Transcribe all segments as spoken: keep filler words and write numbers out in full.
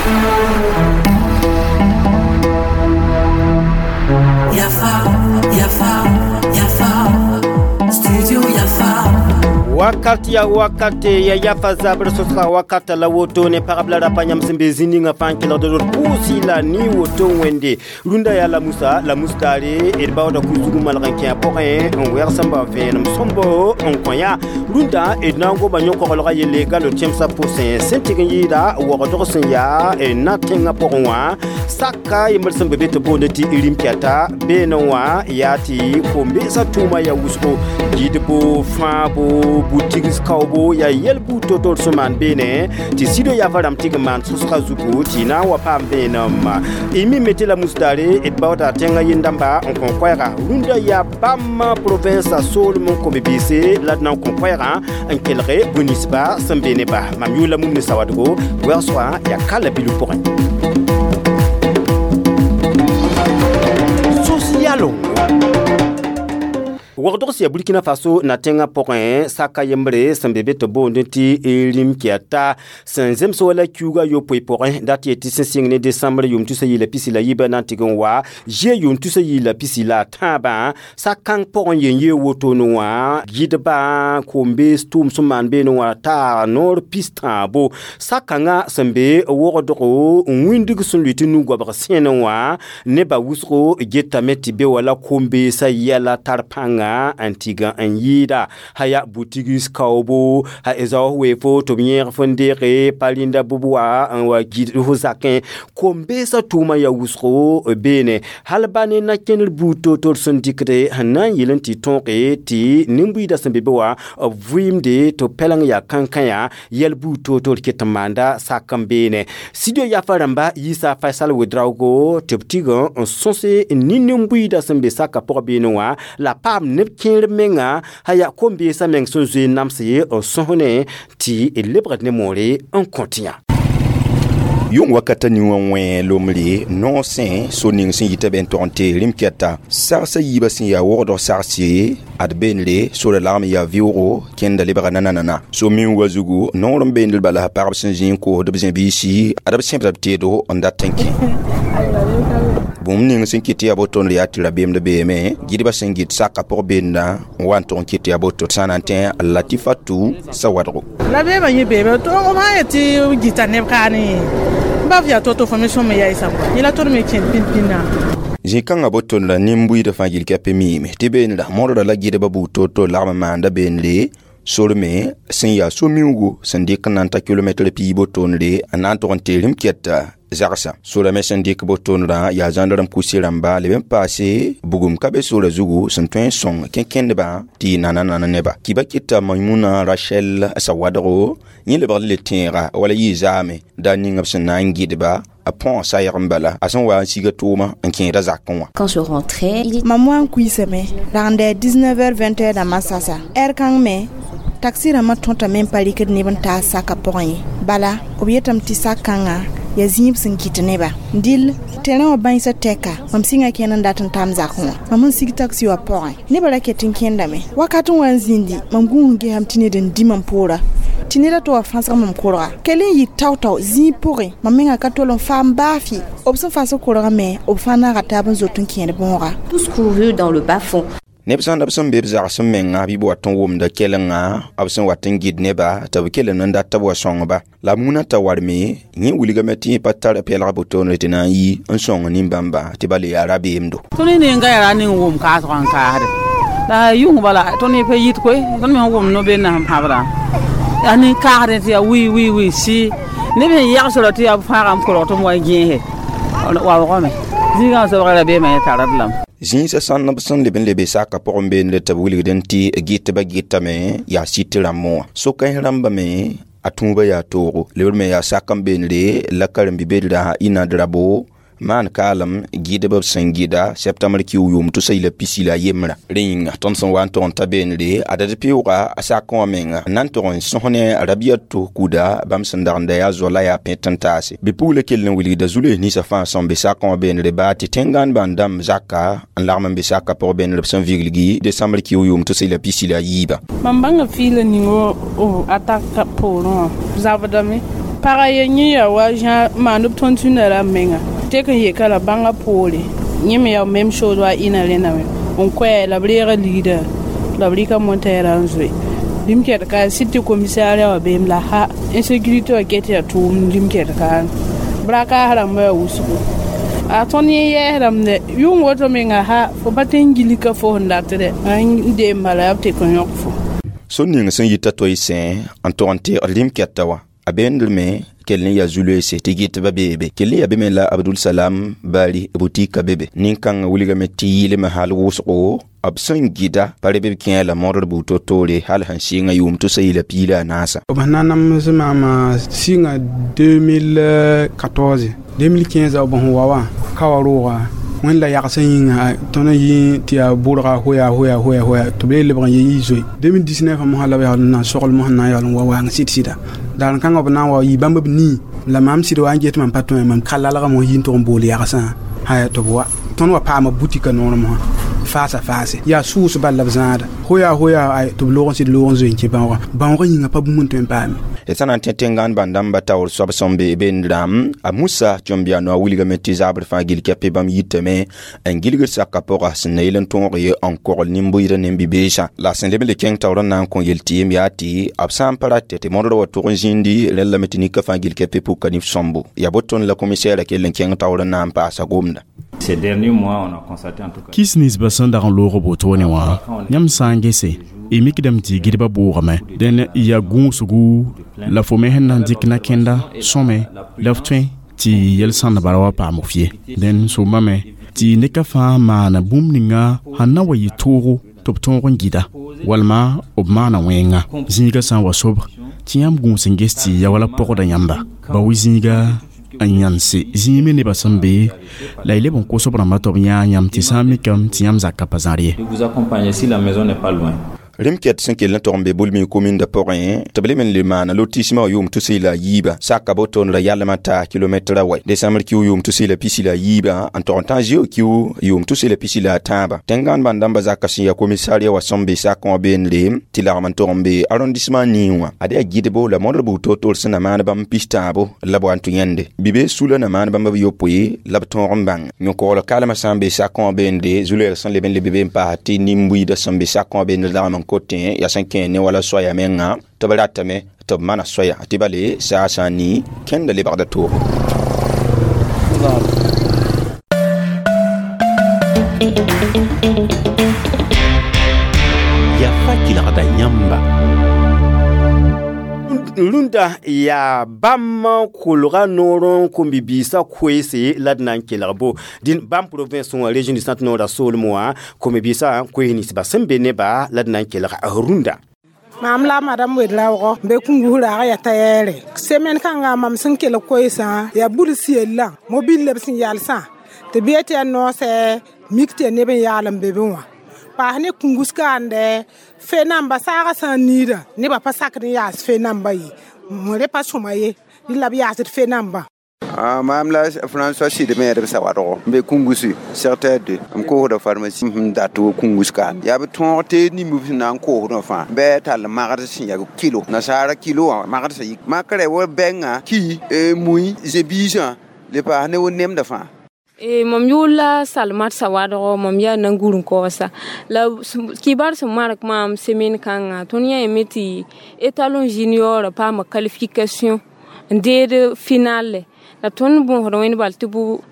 Yafa, Yafa, Yafa, Studio Yafa. Wakati ya wakati ya yafa zabr sosra wakata la woto ne parabla rapa nyam sẽn be zĩ ninga fãa n kelgd d pʋʋsɩ la ni woto wẽnde rũndã yaa la musa la musdaare d baooda ku-zug n malg n kẽ a pʋgẽ n wɛg sẽn bao vẽenem sõmbo n kõ yã rũndã d na n goma yõ-koglgã yelle galo tẽmsã pʋsẽ sẽn tɩg n yɩɩda waoogdg sẽn yaa na tẽngã pʋgẽ wã saka yembr sẽn be be tɩ boonde tɩ rim-kɛta beene wã yaa tɩ kom-beesã tʋʋma yaa wʋsgo gɩdbo fãabo butigs kaoobo yaa yɛl buud to-to sẽn maan beene tɩ sido yafa rãmb tɩg n maan sõsga zugu tɩ na n wa paam vẽenem y mi me tɩ la musdaare d baooda tẽngã yẽn-dãmba n kõ koɛɛga rũndã yaa bãmb provinsa soolem n kõ bibiise la d na n kõ koɛɛgã n kelge bũ-ninsba sẽn be ne ba mam yʋʋla mum ne sawadgo wɛg-soa yaa ka la bilf pʋgẽ sos-yalo Waoogdg sẽn yaa Burkina Faso na tẽngã pʋgẽ saka yembre sẽn be be tɩ boond tɩ rim-kɛta sẽn zems wala kiuugã yopoe pʋgẽ dat yetɩ sẽn sɩng ne desembre yʋʋm tusa yɩ la pisi la yiibã na n tɩg n wa zie yʋʋm tusa yɩ la pisi la a tãabã sak-kãng pʋgẽ yen yee wotone wã gɩdbã kom-bees tʋʋm sẽn maan beene wã taa noor pis-tãabo sak-kãngã sẽn be wogdgo n wĩndg sẽn lʋɩ tɩ nu-goabg sẽne wã nebã wʋsgo getame tɩ be wala kom-beesã yɛla tar pãnga n tɩg n yɩɩda haya butigis kaoobo ha zaoos weefo tɩ b yẽeg fo n deege pa rĩnda bʋb wa n wa gɩd fo zakẽ kom-beesã tʋʋmã yaa wʋsgo beene hal ba ne na-kẽner buud to-to sẽn dɩkde sẽn na n yɩl n tɩ tõoge tɩ nin-buiidã sẽn be be wã b vɩɩmde tɩ pɛleng yaa kãnkã yɛl buud to-to ket n maanda sak n beene studio yafa rãmba yiisa Faisal Ouedraogo tɩ b tɩg n sõse nin-nin-buiidã sẽn be sakã pʋg beene wã la paam neb kẽer menga haya kom-beesã meng sẽn zoe n namse n sõsne tɩ d lebgd ne moore n kõt yã yʋng wakata ning wã wẽ lomre noosẽ so ning sẽn yita bẽ n tog n tee rĩm-kɛta sagsã yiibã sẽn yaa wogdg sagse ad beenre sora lagm yaa vɩʋʋgo kẽnda lebga nananana so min wa zugu noor n beendl bala pagb sẽn zĩ n koosd b zẽ-biisi ad b sẽbda b teedo n dat n kẽ bũmb ning sẽn kɩt tɩ yaa boto yaa tɩ rabeemd beeme gɩdbã sẽn gɩt saka pʋg beenda n wa n tog n kɩt tɩ yaa boto sã na n tẽ Latifatu Sawadgo la beebã yẽ beeme b sã yet tɩ gɩta neb kaane baf yaa to-to fo me sõm me yaɩsa yẽla tõnd me kẽnd pĩn-pĩnã zĩ-kãngã boton la nin-buiidã fãa gill kɛp miime tɩ beenra modra la gɩdbã buud to-to lagm n maanda beenre sor me sẽn yaa so-miuugu sẽn dɩk n na n ta kilomɛtr piig botonre n na n tog n tee rĩm-kɛta zagsa sora me sẽn dɩk botonrã yaa zãndarem kuse rãmba leb n paase bugum ka be sora zugu sẽn tõe n sõng kẽn-kẽndbã tɩ yɩ nana-nana neba kiba kɩta Maimuna Rachel Sawadgo yẽ lebg le tẽega wala yɩ zaame daa ning b sẽn na n gɩdba a põog sayg n bala a sẽn wa n siga tʋʋma n kẽeda zakẽ wã Quand je rentrais, il Mam wa n kuisame ragenda dix-neuf heures vingt heures dãmbã sasa ɛr kãng me taxi rãmbã tõtame n pa rɩkd neb n taas saka pʋgẽ ye bala b yetame tɩ sak kãngã yaa zĩib sẽn kɩt neba dɩl terrain wã bãensã tɛka mam sɩnga kẽnd n dat n tam zakẽ wã mam n sig taxi wã pʋgẽ nebã ra ket n kẽndame wakat n wa n zĩndi mam gũus n gesame tɩ ned n dĩ mam poora tɩ neda tɩ wa fãsg mam korga kell n yɩ tao-tao zĩig pʋgẽ mam mengã ka tol n faam baafɩ b sẽn fas korgã me b fãa naaga taab n zot n kẽed bõoga tous couru dans le bas-fond. Neb sã n b sẽn be b zagsem menga bɩ b wat n wʋmda kɛlenga b sẽn wat n gɩd neba tɩ b kell n dat tɩ b wa sõngba la muna t'a warme yẽ wilgame tɩ yẽ pa tar pɛlg botoonre tɩ na n yi n sõng nin-bãmba tɩ ba le yaa rabeemdo tõnd ninga yaa ning wʋm kaasg n kaasde la yʋng bala tõnd pa yit koe tõnd me wʋm no-bennã sẽn pãbdã yaa nin-kaasdẽ tɩ yaa wii wii wii sɩ neb sẽn yagsra tɩ yaa b fãaga n kolg tɩ m wa gẽese waoogame zĩigã sobg rabeemã yẽ tard lame zĩisã sãn b sẽn leb n lebe saka pʋgẽ beende tɩ b wilgd n tɩ gɩtbã gɩtame yaa sɩt rãmbẽ wã so-kãens rãmba me a tũubã yaa toogo lebr me yaa sak n beendre la karen-bi-bedrã ina drabo maan kaalem gɩdb b sẽn gɩda septembr kiu yʋʋm tusa yila pisi la yembrã rẽ yĩnga tõnd sẽn wa n tog n ta beenre a dad pɩʋʋga a sakẽ wã menga n na n tog n sõs ne Rabiato kuda bãmb sẽn dag n da yaa zoa la yaa pẽt n taase bɩ-pugla kell n wilgda zu-loees ninsã fãa sẽn be sakẽ wã beenre baa tɩ tẽn-gãandbã n dãmb zaka n lagm n be saka pʋg beenre b sẽn viglgi desembre kiu yʋʋm tusa yila pisi la yiibã mam bãnga fɩɩla ning o attaque poorẽ wã zabdame Pagã ye yẽ yaa wa zã maand b tõnd-tũnda rãmb menga tek n yeka la bãngã poore yẽ me yaa même chose wa ɩna rẽndame n koɛɛ la b reega ligda la b rɩka montɛɛrã n zoe lim-kɛt ka sɩd tɩ commissariat wã beem la ha insécurité wã ket yaa tʋʋmd lim-kɛt kaane brakaas rãmbã yaa wʋsgo a tõnd yẽ yɛɛsdame dɛ yʋng woto menga ha fo pa tõe n gilg ka fo sẽn dat dɛ n deem bala yaa b tek n yõk fo. Sor ning sẽn yita toɩ-sẽ n tog n teegd lim-kɛta wã a beendr me kell n yaa zu-loeese tɩ gɩtbã beebe kell yaa be me la Abdul Salam Bari butika bebe nin-kãngã wilgame tɩ yɩlme hal wʋsgo b sẽn gɩda pa reb b kẽ la modr buud to-toore hal sẽn sɩnga yʋʋm tʋsa yɩla piig la a naasa. B sẽn na n nams maama sɩnga deux mille quatorze, deux mille quinze b sẽn wa wã ka wa rooga wẽnd la yagsã yĩnga tõnd n yɩ tɩ yaa bʋrga hoya hoya hoya hoya tɩ b le lebg n ye yɩ zoe deux mille dix-neuf mosã la b yaool n na n sogl mosã n na n yaool n wa waang sɩd sɩda daar kãngã b na n wa yɩ bãmb b nii la maam sɩd wa n get mam pa tõe mam ka lalgame n yi n tʋg n bool yagsã haya tɩ b wa tõnd wa paama butika noor mosã faasa faase yaa sʋʋs bal la b zãada hoya hoya ay tɩ b loog n sɩd loog n zoe n kẽ bãoogã bãoogã yĩnga pa bũmb n tõe n paame. D sã na n tẽ tẽngãan bãn-dãmbã taoor soab sẽn be bendrãm a Musa Tõmbiano a wilgame tɩ zabr fãa gill kɛpɩ bãmb yitame n gilgd saka pʋga sẽn na yel n tõog ye n kogl nin-bʋɩdã ne bi-beesã la sẽn leb n le kẽng taoor n na n kõ yel tɩ yem yaa tɩ b sã n pa ratɛ tɩ modr wa tʋg n zĩndi rẽn lame tɩ nika fãa gill kɛpɩ pʋka nif sõmbo yaa boton la commissaire kell n kẽng taoor n na n paasa gomda. Ces derniers mois, on a constaté en tout cas. Kis ninsbã sẽn dag n loog wotone wã yãmb sã n gese y mikdame tɩ gɩdbã bʋʋgame dẽn yaa gũusgu la fo me sẽn na n dɩk na-kẽnda sõme la f tõe tɩ yel-sãndba ra wa paam f ye dẽn sombame tɩ neka fãa maana bũmb ninga sẽn na wa yɩ toogo tɩ b tõog n gɩda walma b maana wẽnga zĩiga sã n wa sobg tɩ yãmb gũus n ges tɩ ya wala pɔgda yãmba ba wi zĩiga n yãnse zĩig me nebã sẽn be la y leb n kos b rãmbã tɩ b yãag yãmb tɩ sã n mikame tɩ yãmb zakã pa zãr ye. De vous accompagner si la maison n'est pas loin. Rẽm-kɛt sẽn kell n tog n be Bulmi kominda pʋgẽ tɩ b leb n le maana lotissement yʋʋm tʋsɩ la a yiiba saka boton ra yalmã ta kilomɛtra wɛ décembre kiu yʋʋm tʋsɩ la pisi la a yiiba n tog n tã zeo kiu yʋʋm tʋsɩ la pisi la a tãabã tẽngãan bãn-dãmbã zaka sẽn yaa commissariat wa sẽn be sakẽ wã beendre tɩ lagm n tog n be arrondissement nii wã ad yaa gɩdbo la modr buud to-toor sẽn na maan bãmb pis tãabo la b wa n tʋ yẽnde bi-bees sula na maan bãmb b yopoe la b tõog n bãng yõkogl kalmã sã n be sakẽ wã beende zu-loɛɛg sẽn leb n leb be n paas tɩ nin-buiidã sẽn be sakẽ wã beend lagm n kotẽ yaa sẽn kẽ ne wala soaya menga tɩ b ratame tɩ b mana soaya tɩ bale saa sã n nii kẽnda lebgda toogo. Yafa kelgda yãmba. Rũndã yaa bãmb kolga noor n kom-bi-biisã koeese la d na n kelg bo dĩn bãmb province wã région du centre noora soolem wã kom-bi-biisã koees ninsbã sẽn be neba la d na n kelg rũndã. Mam la madame Wedraogo be kungu raga ya tayere semaine kãngã mam sẽn kelg koeesã yaa buls yellã mobil la b sẽn yalsã tɩ bɩ tɩ yaa noosɛ mik tɩ yaa neb n yaal n be be wã paas ne kungus kaande fe namba saagã sã n niida nebã pa sakd n yaas fe namba ye re pa sõma ye rɩ la b yaasd fe nambã. Maam la François Sidme b sawadgo n be Kungusi secteur deux m koosda pharmacie m dat wo Kungus kaan yaa b tõog tɩ nimb sẽn na n koosdã fãa bɩ tall magd sẽn yaa kilo nasaara kilo wã magd sẽn yik makrɛ wa bɛngã ki mui zẽ-biisã le paas ne wo nemdã fãa. E mam yʋʋr la Salmat Sawadgo mam yaa nan-gur n kaoosa la kibar sẽn mark maam semaine kãngã tõnd yã yame tɩ étalon junior paama qualification n deed finale la tõnd bõosd wẽnd bal tɩ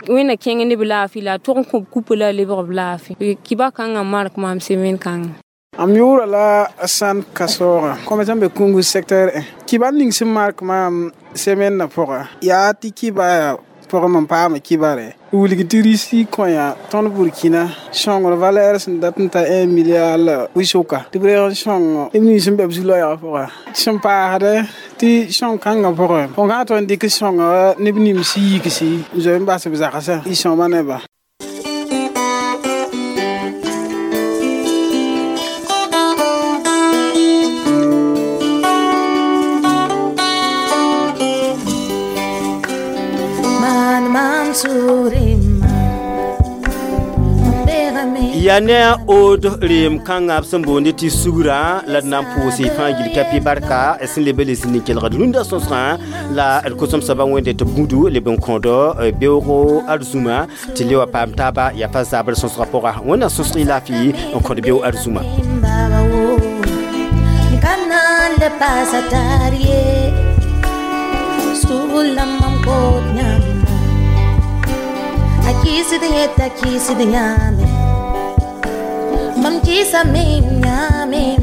wẽnna kẽng ne b laafɩ la a tog n kõ b kupa la a lebg b laafɩ kiba kãngã mark maam semaine kãngã. Am yʋʋra la San Kasoora kɔmɛsã be Kungu secteur un kibar ning sẽn mark maam semaine na pʋga yaa tɩ kiba yaa pʋgẽ mam paama kibare wilg tɩ risi kõya tõnd Burkina sõngr valeur sẽn dat n ta un milliard la wɩ-sʋka tɩ b reeg n sõng neb nins sẽn be b zu-loɛɛgã pʋga sẽn paasdɛ tɩ sõng kãngã pʋgẽ fo sã tõe n dɩk sõnga neb nims yigsi n zoe n bas b zagsã y sõma nebã. Mansurima. Ya ne a od reem kãngã b sẽn boonde tɩ sugrã la d na n pʋʋse fãa gil kapi barka sẽn leb le zĩnd n kelgd rũndã sõsgã la d kosem soaba wẽnde tɩ b gũdu leb n kõdo beoogo arzũma tɩ le wa paam taaba yaa pa zabr sõsgã pʋga. Wẽnna sõsg y laafɩ n kõd beoog arzũma. Kanale pasatarie Sula mam kot nyama Akisi dieta kisi dinyame Mam kisa mim nyame.